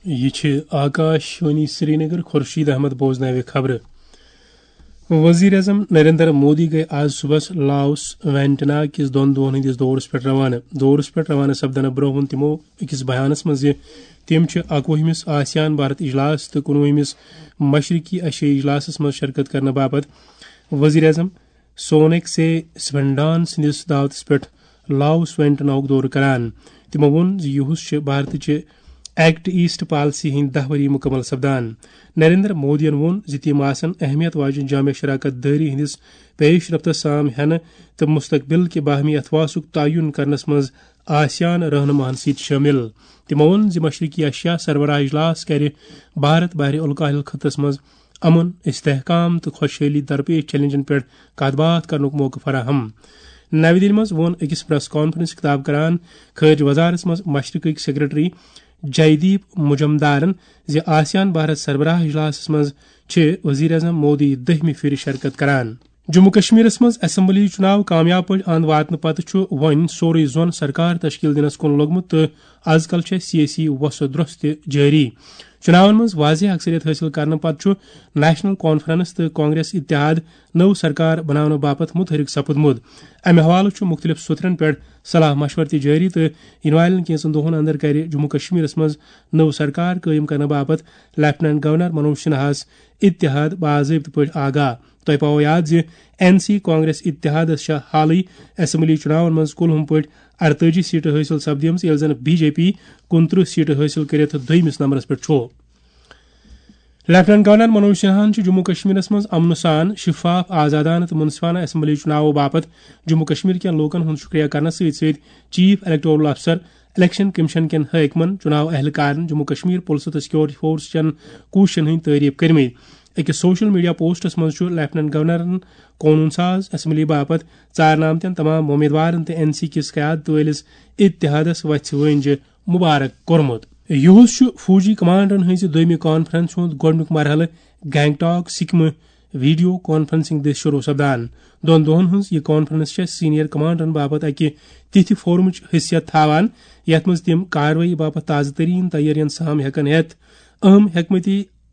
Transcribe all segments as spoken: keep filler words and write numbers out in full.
یہ چھِ آکاش وانی سرینگر۔ خورشید احمد بوزناوِ خبرٕ۔ وزیر اعظم نریندر مودی گٔے آز صبحس لاوس وینٹنا کِس دۄن دۄہن ہٕنٛدِس دورس پٮ۪ٹھ روانہٕ۔ دورس پٮ۪ٹھ روانہٕ سپدنہٕ برونٛہہ ووٚن تِمو أکِس بیانس منٛز زِ تِم چھِ اکوُہمِس آسیان بھارت اجلاس تہٕ کُنوُہمِس مشرقی ایشیائی اجلاسس منٛز شرکت کرنہٕ باپتھ وزیر اعظم سونک سے سپنڈان سٕنٛدِس دعوتس پٮ۪ٹھ لاوس وینٹناہُک دورٕ کران۔ تِمو ووٚن زِ یُہُس چھِ بھارتٕچہِ ایکٹ ایسٹ پالیسی ہٕنٛدۍ دَہ ؤری مُکمل سپدان۔ نریندر مودیَن ووٚن زِ تِم آسن اہمیت واجٮ۪ن جامع شراکت دٲری ہٕنٛدِس پیش رفتس سام ہٮ۪نہٕ تہٕ مستقبل کہِ باہمی اتھواسُک تعین کرنس منٛز آسیان رہنماہن سۭتۍ شٲمِل۔ تِمو ووٚن زِ مشرقی ایشیا سربراہ اجلاس کرِ بھارت بحر الکاہل خطس منٛز امن، استحکام تہٕ خۄشحٲلی درپیش چیلنجن پٮ۪ٹھ کتھ باتھ کرنُک موقعہٕ فراہم۔ نَوِ دِلہِ منٛز ووٚن أکِس پریس کانفرنس خطاب کران خارجہ وزارت منٛز مشرقٕکۍ سیکرٹری جے دیپ مجمدارن زِ آسیان بھارت سربراہ اجلاسس منٛز چھِ وزیر اعظم مودی دٔہمہِ پھِرِ شرکت کران۔ جموں کشمیرس منٛز اسمبلی چُناو کامیاب پٲٹھۍ اند واتنہٕ پتہٕ چھُ وۄنۍ سورُے زون سرکار تشکیل دِنس کُن لوٚگمُت تہٕ از کل چھےٚ سیٲسی وۄسہٕ درٛوٚس تہِ جٲری۔ چُناون منٛز واضح اکثریت حٲصِل کرنہٕ پتہٕ چھُ نیشنل کانفرنس تہٕ کانگریس اتحاد نٔو سرکار بناونہٕ باپتھ متحرک سپُدمُت۔ امہِ حوالہٕ چھُ مُختٔلِف سوٚتھرن پٮ۪ٹھ صلاح مشورٕ تہِ جٲری تہٕ یِنہٕ والٮ۪ن کینٛژن دۄہن اندر کرِ جموں کشمیرس منٛز نٔو سرکار قٲیِم کرنہٕ باپتھ لیفٹیننٹ گورنر منوج سنہاہس اتحاد باضٲبطہٕ پٲٹھۍ آگاہ۔ تۄہہِ پاوو یاد زِ این سی کانگریس اتحادس چھےٚ حالٕے اسمبلی چُناون منٛز کُلہُم پٲٹھۍ اَرتٲجی سیٹہٕ حٲصِل سپدیمژٕ، ییٚلہِ زن بی جے پی کُنترٕہ سیٹہٕ حٲصِل کٔرِتھ دوٚیمِس نمبرس پٮ۪ٹھ چھُ۔ لیفٹیننٹ گورنر منوج سنہاہن چھُ جموں کشمیرس منٛز امنہٕ سان، شفاف، آزادانہٕ تہٕ منصفانہٕ اسمبلی چُناوو باپتھ جموں کشمیر کٮ۪ن لوٗکن ہُنٛد شُکریہ کرنس سۭتۍ سۭتۍ چیف الیکٹورل افسر، الیکشن کمیشن کٮ۪ن حٲکمن، چُناو اہلکارن، جموں کشمیر پُلسہٕ تہٕ سیکورٹی فورس چٮ۪ن کوٗششن ہٕنٛدۍ تعریف کٔرمٕتۍ۔ أکِس سوشل میڈیا پوسٹس منٛز چھُ لیفٹیننٹ گورنرن قونوٗن ساز اسمبلی باپتھ ژارنہٕ آمتٮ۪ن تمام وۄمیدوارن تہٕ این سی کِس قیادت وٲلِس اتحادس وژھِ وٲنجہِ مبارک کوٚرمُت۔ یُہُس چھُ فوجی کمانڈرن ہٕنٛزِ دوٚیمہِ کانفرنس ہُنٛد گۄڈٕنیُک مرحلہٕ گینگٹاک، سکمہٕ ویڈیو کانفرنسنگ دٔسۍ شروع سپدان۔ دۄن دۄہن ہٕنٛز یہِ کانفرنس چھےٚ سینئر کمانڈرن باپتھ اکہِ تِتھِ فورمٕچ حیثیت تھاوان، یتھ منٛز تِم کاروٲیی باپتھ تازٕ ترین تیٲرین سام ہٮ۪کن ہٮ۪تھ، اہم حکمت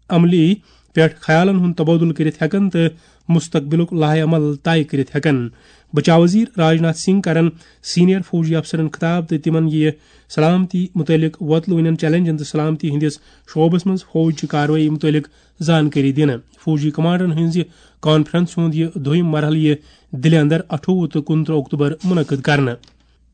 عملی پٮ۪ٹھ خیالن ہُنٛد تبادلہٕ کٔرِتھ ہٮ۪کن تہٕ مستقبلُک لائحہ عمل طے کٔرِتھ ہٮ۪کن۔ بچاو وزیر راجناتھ سنگھ کرن سینئر فوجی افسرن خطاب تہٕ تِمن یہِ سلامتی متعلق وۄتلوٕنٮ۪ن چیلنجن تہٕ سلامتی ہٕنٛدِس شعبس منٛز فوج چہِ کاروٲیی متعلق زانکٲری دِنہٕ۔ فوجی کمانڈرن ہٕنٛزِ کانفرنس ہُنٛد یہِ دوٚیِم مرحلہٕ یِیہِ دِلہِ اندر اَٹھووُہ تہٕ کُنترٕہ اکتوبر منعقد کرنہٕ۔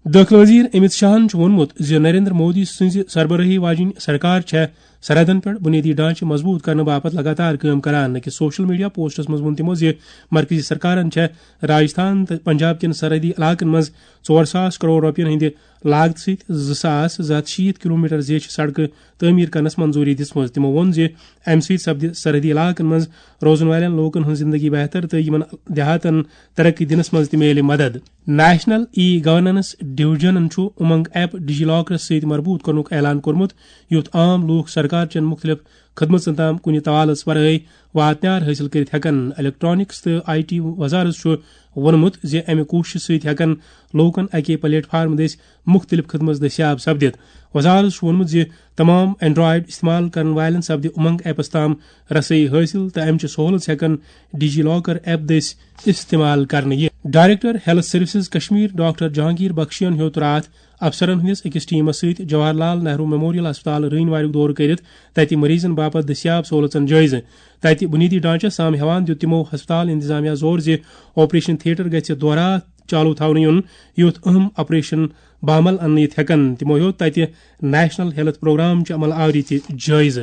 دٲخلہٕ وزیر امت شاہن چھُ ووٚنمُت زِ نریندر مودی سٕنٛزِ سربرٲہی واجیٚنۍ سرکار چھےٚ سرحدن پٮ۪ٹھ بُنیٲدی ڈھانچہٕ مضبوٗط کرنہٕ باپتھ لگاتار کٲم کران۔ أکِس سوشل میڈیا پوسٹس منٛز ووٚن تِمو زِ مرکزی سرکارن چھےٚ راجستھان تہٕ پنجاب کٮ۪ن سرحدی علاقن منٛز ژور ساس کرور رۄپین ہٕنٛدِ لاگتہٕ سۭتۍ زٕ ساس زٕ ہتھ شیٖتھ کلومیٹر زیچھِ سڑکہٕ تعمیٖر کرنس منظوٗری دِژمٕژ۔ تِمو ووٚن زِ امہِ سۭتۍ سپدِ سرحدی علاقن منٛز روزن والٮ۪ن لوٗکن ہٕنٛز زندگی بہتر تہٕ یِمن دیہاتن ترقی دِنس منٛز تہِ میلہِ مدد۔ نیشنل ای گورننس ڈویژنن چھُ امنگ ایپ ڈیجی لاکرس سۭتۍ مربوط کرنُک اعلان کوٚرمُت، یُتھ عام لوٗکھ سرکار چٮ۪ن مُختٔلِف خدمژن تام کُنہِ توالس ورٲے واتنیار حٲصِل کٔرِتھ ہٮ۪کن۔ الیکٹرانکس تہٕ آئی ٹی وزارت چھُ ووٚنمُت زِ امہِ کوٗششہِ سۭتۍ ہٮ۪کن لوٗکن اکے پلیٹ فارم دٔسۍ مُختٔلِف خدمژ دٔستیاب سپدِتھ۔ وزارت چھُ ووٚنمُت زِ تمام اینڈرائیڈ استعمال کرن والٮ۪ن سپدِ امنگ ایپس تام رسٲیی حٲصِل تہٕ امہِ چہِ سہولژ ہٮ۪کن ڈیجی لاکر ایپ دٔسۍ استعمال کرنہٕ یِتھ۔ Director health services Kashmir doctor Jahangir بخشین ہیوٚت راتھ افسرن ہٕنٛدِس أکِس ٹیمس سۭتۍ جواہر لال نہرو میموریل ہسپتال رٲنۍ واریُک دورٕ کٔرِتھ تتہِ مریضن باپتھ دٔستیاب سہولژن جٲیزٕ۔ تتہِ بُنیٲدی ڈھانچس سام ہٮ۪وان دیُت تِمو ہسپتال انتظامیہ زور زِ آپریشن تھیٹر گژھِ دورہ چالو تھاونہٕ یُن، یُتھ اہم آپریشن بامل اننہٕ یِتھ ہٮ۪کن۔ تِمو ہیوٚت تتہِ نیشنل ہیلتھ پروگرام چہِ عمل آوری تہِ جٲیزٕ۔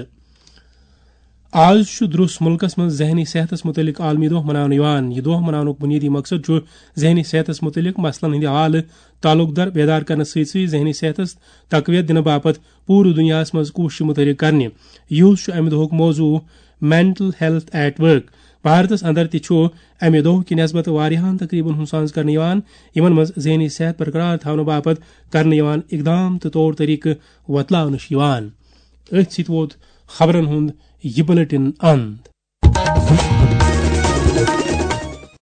آز چھُ درٛوس مُلکَس منٛز ذہنی صحتَس مُتعلِق عالمی دۄہ مناونہٕ یِوان۔ یہِ دۄہ مناونُک بُنیٲدی مقصد چھُ ذہنی صحتَس مُتعلِق مسلَن ہٕنٛدِ حوالہٕ تعلق دار بیدار کرنہٕ سۭتۍ سۭتۍ ذہنی صحتَس تقویت دِنہٕ باپتھ پوٗرٕ دُنیاہَس منٛز کوٗشِش متحرک کرنہِ۔ یُہُس چھُ اَمہِ دۄہُک موضوع مینٹل ہیلتھ ایٹ ورک۔ بھارتَس اندر تہِ چھُ اَمہِ دۄہ کہِ نسبت واریاہَن تقریبن ہُنٛد سانز کرنہٕ یِوان، یِمَن منٛز ذہنی صحت برقرار تھاونہٕ باپتھ کرنہٕ یِوان اقدام تہٕ طور طریقہٕ وۄتلاونہٕ چھِ یِوان۔ أتھۍ سۭتۍ ووت خبرن ہُنٛد یہِ بلیٹن اند۔